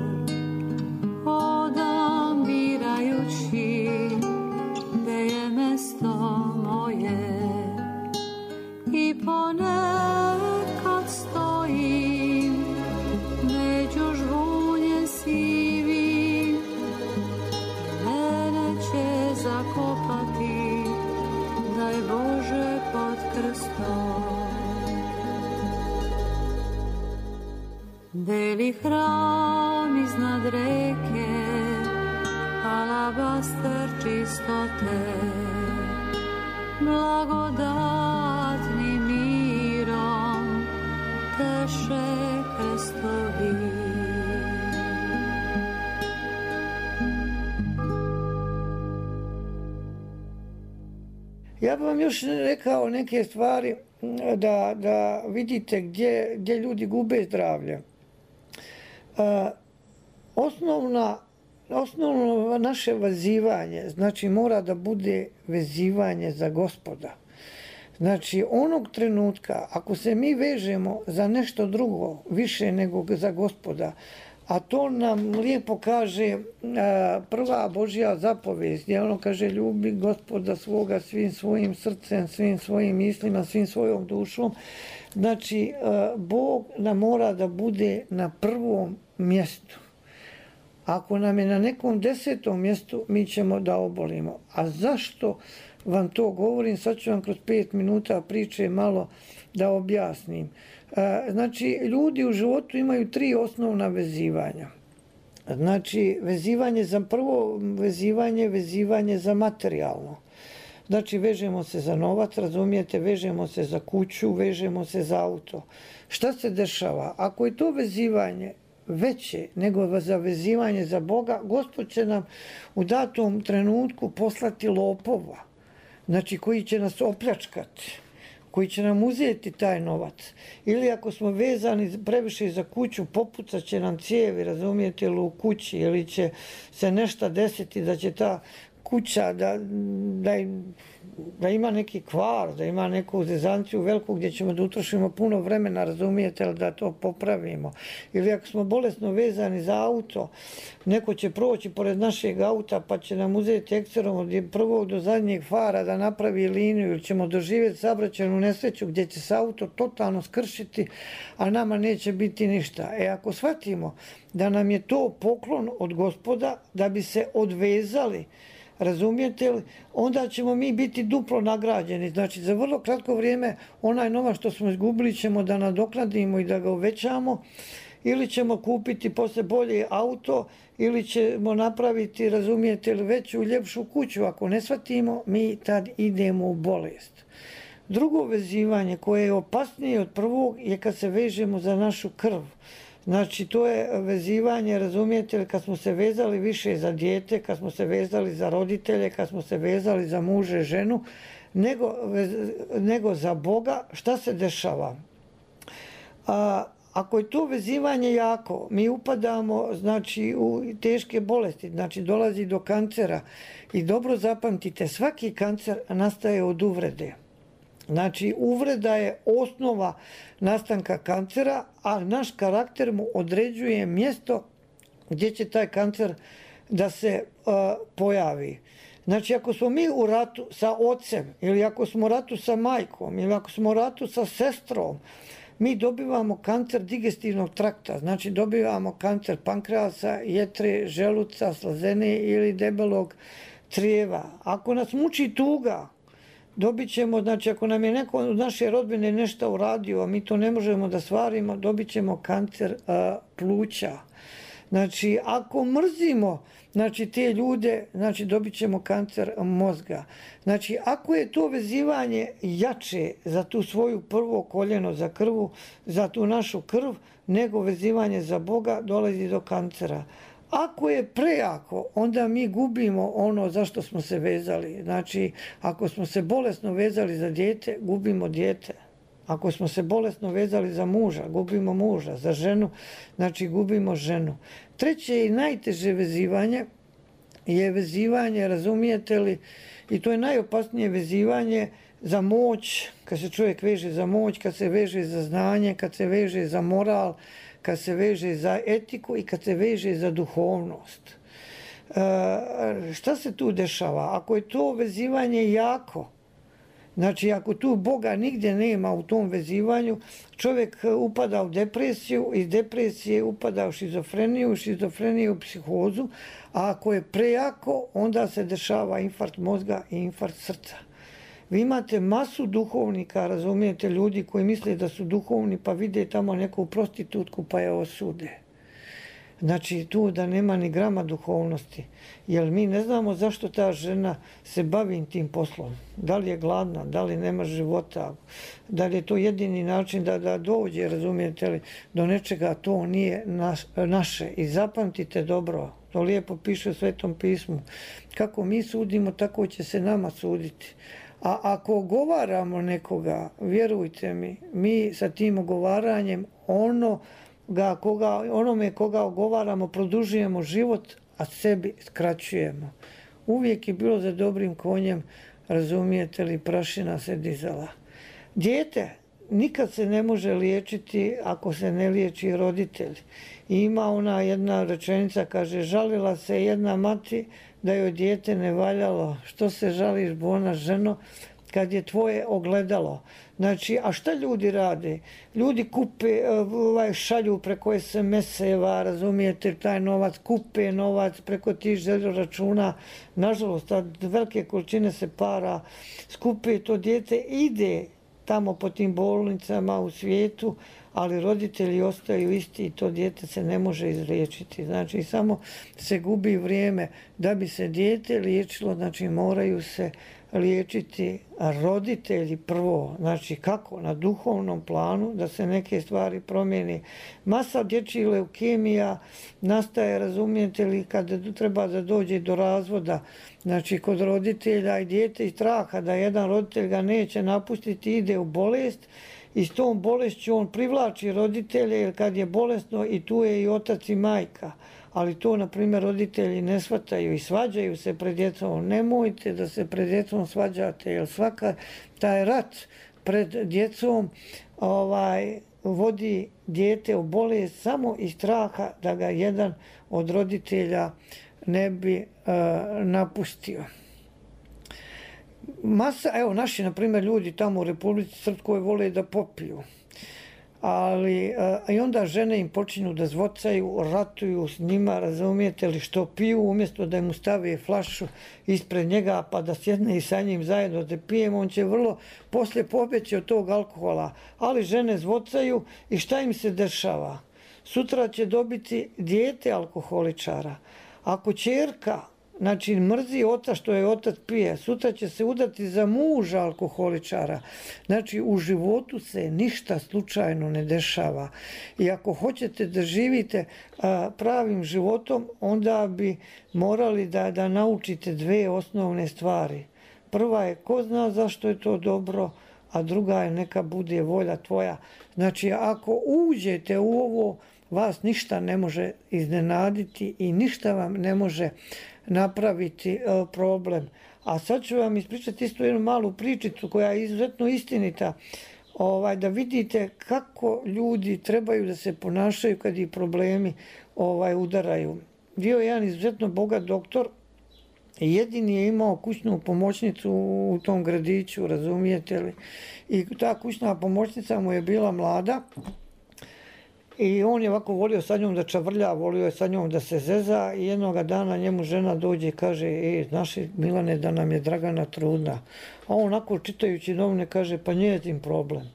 hodam birajući gde je mesto moje, i ponekad stojim među žvunje sivim, mene će zakopati, daj Bože, pod krstom. Beli hram iznad reke, alabaster čistote, blagodatnim mirom teše krstovi. Ja bih vam još rekao neke stvari da, da vidite gdje, gdje ljudi gube zdravlje. A, osnovna, osnovno naše vezivanje, znači mora da bude vezivanje za Gospoda. Znači onog trenutka, ako se mi vežemo za nešto drugo više nego za Gospoda, a to nam lijepo kaže a, prva Božja zapovijest, gdje ono kaže ljubi Gospoda svoga svim svojim srcem, svim svojim mislima, svim svojom dušom. Znači a, Bog nam mora da bude na prvom mjestu. Ako nam je na nekom desetom mjestu, mi ćemo da obolimo. A zašto vam to govorim? Sad ću vam kroz pet minuta priče malo da objasnim. Znači, ljudi u životu imaju tri osnovna vezivanja. Znači, vezivanje za prvo vezivanje, vezivanje za materijalno. Znači, vežemo se za novac, razumijete, vežemo se za kuću, vežemo se za auto. Šta se dešava? Ako je to vezivanje veće nego za vezivanje za Boga, Gospod će nam u datom trenutku poslati lopova, znači koji će nas opljačkati, koji će nam uzeti taj novac. Ili ako smo vezani previše za kuću, popucat će nam cijevi, razumijete, ili u kući, ili će se nešto desiti da će ta kuća da, da, da ima neki kvar, da ima neku zezanciju veliku gdje ćemo da utrošimo puno vremena, razumijete, da to popravimo. Ili ako smo bolesno vezani za auto, neko će proći pored našeg auta pa će nam uzeti ekserom od prvog do zadnjeg fara da napravi liniju, ili ćemo doživjeti saobraćajnu nesreću gdje će se auto totalno skršiti, a nama neće biti ništa. E ako shvatimo da nam je to poklon od Gospoda da bi se odvezali, razumijete li, onda ćemo mi biti duplo nagrađeni. Znači, za vrlo kratko vrijeme onaj novac što smo izgubili ćemo da nadoknadimo i da ga uvećamo, ili ćemo kupiti posle bolje auto, ili ćemo napraviti, razumijete li, veću, ljepšu kuću. Ako ne shvatimo, mi tad idemo u bolest. Drugo vezivanje koje je opasnije od prvog je kad se vežemo za našu krv. Znači, to je vezivanje, razumijete li, kad smo se vezali više za dijete, kad smo se vezali za roditelje, kad smo se vezali za muže, ženu, nego, nego za Boga. Šta se dešava? A, ako je to vezivanje jako, mi upadamo, znači, u teške bolesti, znači dolazi do kancera. I dobro zapamtite, svaki kancer nastaje od uvrede. Znači, uvreda je osnova nastanka kancera, a naš karakter mu određuje mjesto gdje će taj kancer da se uh, pojavi. Znači, ako smo mi u ratu sa ocem, ili ako smo u ratu sa majkom, ili ako smo u ratu sa sestrom, mi dobivamo kancer digestivnog trakta, znači dobivamo kancer pankreasa, jetre, želuca, slazene ili debelog crijeva. Ako nas muči tuga, dobit ćemo, znači ako nam je neko od naše rodbine nešto uradio, a mi to ne možemo da stvarimo, dobit ćemo kancer a, pluća. Znači, ako mrzimo, znači, te ljude, znači, dobit ćemo kancer mozga. Znači, ako je to vezivanje jače za tu svoju prvo koljeno, za krvu, za tu našu krv, nego vezivanje za Boga, dolazi do kancera. Ako je prejako, onda mi gubimo ono za što smo se vezali. Znači, ako smo se bolesno vezali za dijete, gubimo dijete. Ako smo se bolesno vezali za muža, gubimo muža. Za ženu, znači gubimo ženu. Treće i najteže vezivanje je vezivanje, razumijete li, i to je najopasnije vezivanje za moć, kad se čovjek veže za moć, kad se veže za znanje, kad se veže za moral, kad se veže za etiku i kad se veže za duhovnost. E, šta se tu dešava? Ako je to vezivanje jako, znači ako tu Boga nigdje nema u tom vezivanju, čovjek upada u depresiju, iz depresije upada u šizofreniju, šizofreniju u psihozu, a ako je prejako, onda se dešava infarkt mozga i infarkt srca. Vi imate masu duhovnika, razumijete, ljudi koji misle da su duhovni pa vide tamo neku prostitutku pa je osude. Znači tu da nema ni grama duhovnosti. Jer mi ne znamo zašto ta žena se bavi tim poslom. Da li je gladna, da li nema života, da li je to jedini način da, da dođe, razumijete li, do nečega, to nije naš, naše. I zapamtite dobro, to lijepo piše u Svetom pismu. Kako mi sudimo, tako će se nama suditi. A ako ogovaramo nekoga, vjerujte mi, mi sa tim ogovaranjem ono ga, koga, onome koga ogovaramo produžujemo život, a sebi skraćujemo. Uvijek je bilo za dobrim konjem, razumijete li, prašina se dizala. Dijete nikad se ne može liječiti ako se ne liječi roditelj. I ima ona jedna rečenica, kaže, žalila se jedna mati da joj dijete ne valjalo. Što se žališ, bona ženo, kad je tvoje ogledalo? Znači, a šta ljudi rade? Ljudi kupe, ovaj, šalju preko es em es-eva, razumijete, taj novac, kupe novac preko tih željo računa. Nažalost, tad velike količine se para, skupe to dijete, ide tamo po tim bolnicama u svijetu, ali roditelji ostaju isti i to dijete se ne može izliječiti. Znači, samo se gubi vrijeme da bi se dijete liječilo, znači moraju se liječiti roditelji prvo, znači kako na duhovnom planu da se neke stvari promijeni. Masa dječjih leukemija nastaje, razumijete li, kada treba da dođe do razvoda, znači kod roditelja i dijete iz straha da jedan roditelj ga neće napustiti, ide u bolest i s tom bolešću on privlači roditelje jer kad je bolesno i tu je i otac i majka. Ali to, na primjer, roditelji ne shvataju i svađaju se pred djecom. Nemojte da se pred djecom svađate, jer svaka taj rat pred djecom ovaj, vodi dijete u bolest samo iz straha da ga jedan od roditelja ne bi uh, napustio. Masa, evo, naši, na primjer, ljudi tamo u Republici Srpskoj vole da popiju. Ali a, i onda žene im počinju da zvocaju, ratuju s njima, razumijete li, što piju, umjesto da mu stave flašu ispred njega pa da sjedne i sa njim zajedno da pijemo, on će vrlo poslije pobjeći od tog alkohola. Ali žene zvocaju i šta im se dešava? Sutra će dobiti dijete alkoholičara. Ako ćerka, znači mrzi otac što je otac pije, sutra će se udati za muža alkoholičara. Znači u životu se ništa slučajno ne dešava. I ako hoćete da živite a, pravim životom, onda bi morali da, da naučite dve osnovne stvari. Prva je ko zna zašto je to dobro, a druga je neka bude volja tvoja. Znači ako uđete u ovo, vas ništa ne može iznenaditi i ništa vam ne može napraviti problem. A sad ću vam ispričati isto jednu malu pričicu koja je izuzetno istinita, ovaj, da vidite kako ljudi trebaju da se ponašaju kad ih problemi ovaj, udaraju. Bio je jedan izuzetno bogat doktor i jedini je imao kućnu pomoćnicu u tom gradiću, razumijete li? I ta kućna pomoćnica mu je bila mlada. I on je ovako volio sa njom da čavrlja, volio je sa njom da se zeza i jednoga dana njemu žena dođe i kaže, e, znaš Milane da nam je Dragana trudna. A on onako čitajući novine kaže, pa njezin problem.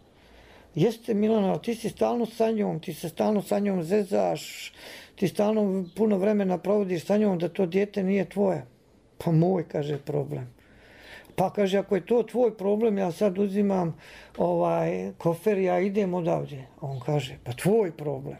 Jeste Milana, ti si stalno sa njom, ti se stalno sa njom zezaš, ti stalno puno vremena provodiš sa njom da to dijete nije tvoje. Pa moj, kaže, problem. Pa kaže, ako je to tvoj problem, ja sad uzimam ovaj kofer, ja idem odavdje. On kaže, pa tvoj problem.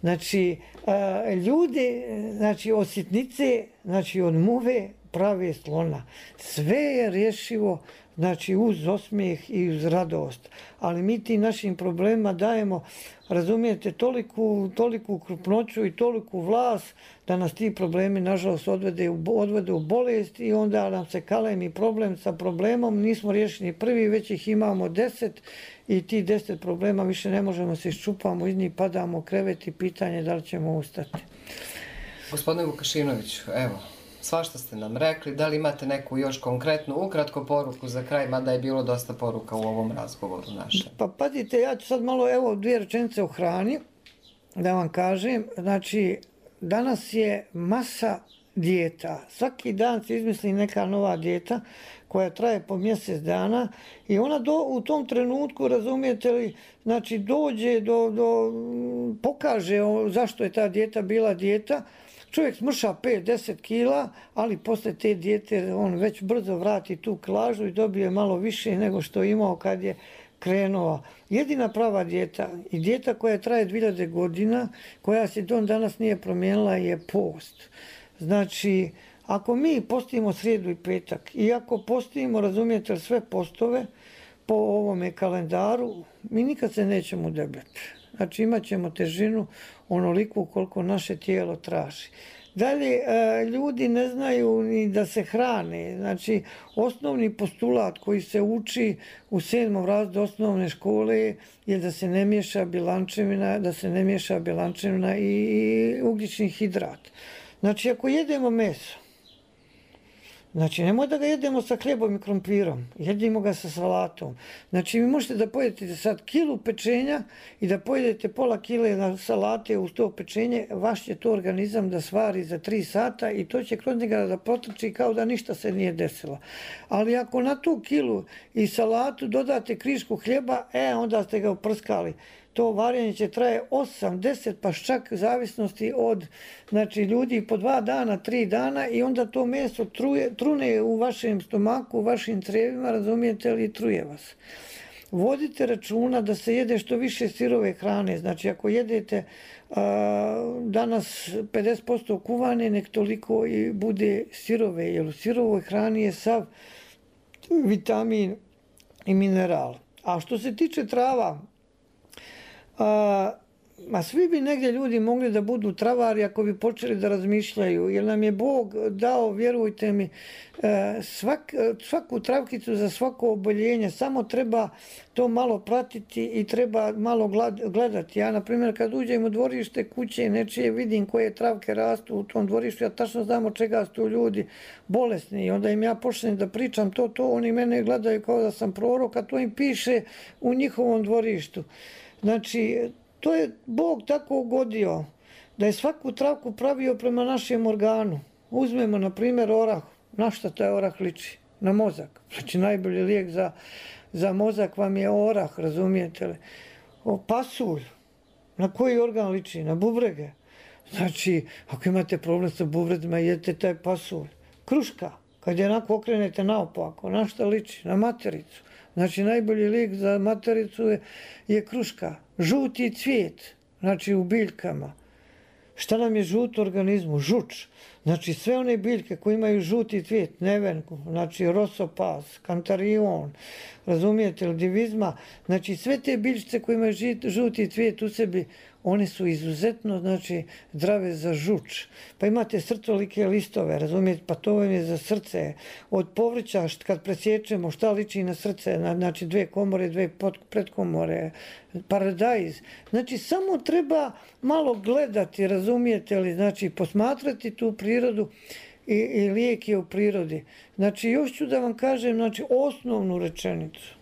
Znači, a, ljudi, znači, od sitnice, znači, od muve prave slona. Sve je rješivo, znači, uz osmijeh i uz radost. Ali mi tim našim problemima dajemo, razumijete, toliku, toliku krupnoću i toliku vlas da nas ti problemi, nažalost, odvede u, odvede u bolest i onda nam se kalemi problem sa problemom. Nismo riješeni prvi, već ih imamo deset i ti deset problema više ne možemo se iščupamo, iz njih padamo u krevet i pitanje da li ćemo ustati. Gospodine Vukašinoviću, evo, svašta ste nam rekli, da li imate neku još konkretnu, ukratko poruku za kraj, mada je bilo dosta poruka u ovom razgovoru našem? Pa pazite, ja ću sad malo, evo, dvije rečenice o hrani, da vam kažem. Znači, danas je masa dijeta. Svaki dan se izmisli neka nova dijeta koja traje po mjesec dana i ona do, u tom trenutku, razumijete li, znači dođe do, do pokaže zašto je ta dijeta bila dijeta. Čovjek smrša pet do deset kila, ali posle te dijete on već brzo vrati tu kilažu i dobije malo više nego što je imao kad je krenuo. Jedina prava dijeta i dijeta koja traje dvije hiljade godina, koja se don danas nije promijenila, je post. Znači, ako mi postimo srijedu i petak i ako postimo, razumijete, sve postove po ovome kalendaru, mi nikad se nećemo debljati. Znači, imat ćemo težinu onoliku koliko naše tijelo traži. Dalje, ljudi ne znaju ni da se hrane. Znači, osnovni postulat koji se uči u sedmom razredu osnovne škole je da se ne miješa bjelančevina, da se ne miješa bjelančevina i ugljični hidrat. Znači, ako jedemo meso, znači, nemoj da ga jedemo sa hljebom i krompirom, jedimo ga sa salatom. Znači, vi možete da pojedete sad kilu pečenja i da pojedete pola kile na salate uz to pečenje, vaš će to organizam da svari za tri sata i to će kroz njega da protrči kao da ništa se nije desilo. Ali ako na tu kilu i salatu dodate krišku hljeba, e, onda ste ga uprskali. to varenje će traje osam, deset, pa čak zavisnosti od znači, ljudi po dva dana, tri dana i onda to meso truje, trune u vašem stomaku, u vašim crijevima, razumijete li, i truje vas. Vodite računa da se jede što više sirove hrane. Znači, ako jedete a, danas pedeset posto kuvane, nek toliko i bude sirove, jer u sirovoj hrani je sav vitamin i mineral. A što se tiče trava, a, ma svi bi negdje ljudi mogli da budu travari ako bi počeli da razmišljaju, jer nam je Bog dao, vjerujte mi, svak, svaku travkicu za svako oboljenje, samo treba to malo pratiti i treba malo gledati. Ja, na primjer, kad uđem u dvorište kuće nečije, vidim koje travke rastu u tom dvorištu, ja tačno znam od čega su ljudi bolesni i onda im ja počnem da pričam to, to, oni mene gledaju kao da sam prorok, a to im piše u njihovom dvorištu. Znači, to je Bog tako ugodio da je svaku travku pravio prema našem organu. Uzmemo, na primjer, orah. Na šta taj orah liči? Na mozak. Znači, najbolji lijek za, za mozak vam je orah, razumijete li? O, pasulj. Na koji organ liči? Na bubrege. Znači, ako imate problem sa bubrecima, jedete taj pasulj. Kruška. Kad je onako okrenete naopako, na šta liči? Na matericu. Znači, najbolji lijek za matericu je, je kruška. Žuti cvijet, znači u biljkama. Šta nam je žut u organizmu? Žuč. Znači, sve one biljke koje imaju žuti cvijet, nevenku, znači rosopas, kantarion, razumijete li, divizma, znači sve te biljčice koje imaju žuti cvijet u sebi, one su izuzetno, znači, zdrave za žuč. Pa imate srcolike listove, razumijete, pa to vam je za srce. Od povrća, kad presječemo, šta liči na srce, znači dve komore, dve predkomore, paradajz. Znači, samo treba malo gledati, razumijete li, znači, posmatrati tu prirodu i, i lijek je u prirodi. Znači, još ću da vam kažem, znači, osnovnu rečenicu.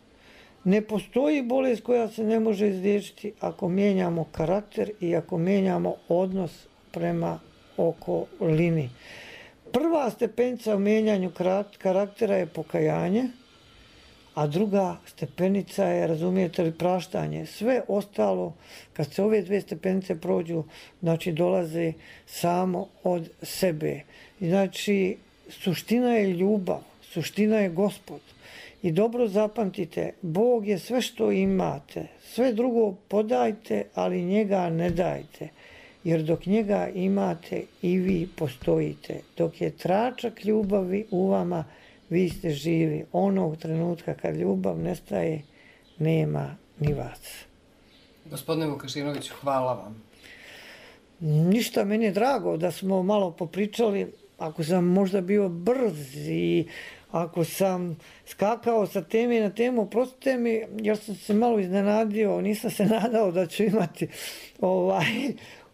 Ne postoji bolest koja se ne može izliječiti ako mijenjamo karakter i ako mijenjamo odnos prema okolini. Prva stepenica u mijenjanju karaktera je pokajanje, a druga stepenica je, razumijete li, praštanje. Sve ostalo, kad se ove dve stepenice prođu, znači dolaze samo od sebe. Znači, suština je ljubav, suština je Gospod. I dobro zapamtite, Bog je sve što imate, sve drugo podajte, ali njega ne dajte. Jer dok njega imate i vi postojite. Dok je tračak ljubavi u vama, vi ste živi. Onog trenutka kad ljubav nestaje, nema ni vas. Gospodine Vukašinoviću, hvala vam. Ništa, meni je drago da smo malo popričali. Ako sam možda bio brz i ako sam skakao sa teme na temu, prostite mi, jer sam se malo iznenadio, nisam se nadao da ću imati ovaj,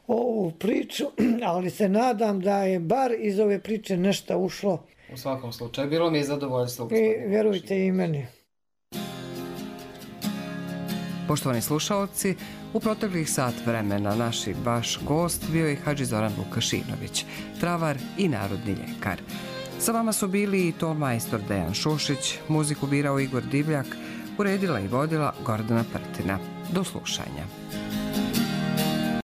ovu priču, ali se nadam da je bar iz ove priče nešto ušlo. U svakom slučaju, bilo mi je zadovoljstvo. I vjerujte i meni. Poštovani slušaoci, u proteklih sat vremena naši vaš gost bio je Hadži Zoran Vukašinović, travar i narodni ljekar. Sa vama su bili i tonmajstor Dejan Šušić, muziku birao Igor Divljak, uredila i vodila Gordana Prtina. Do slušanja.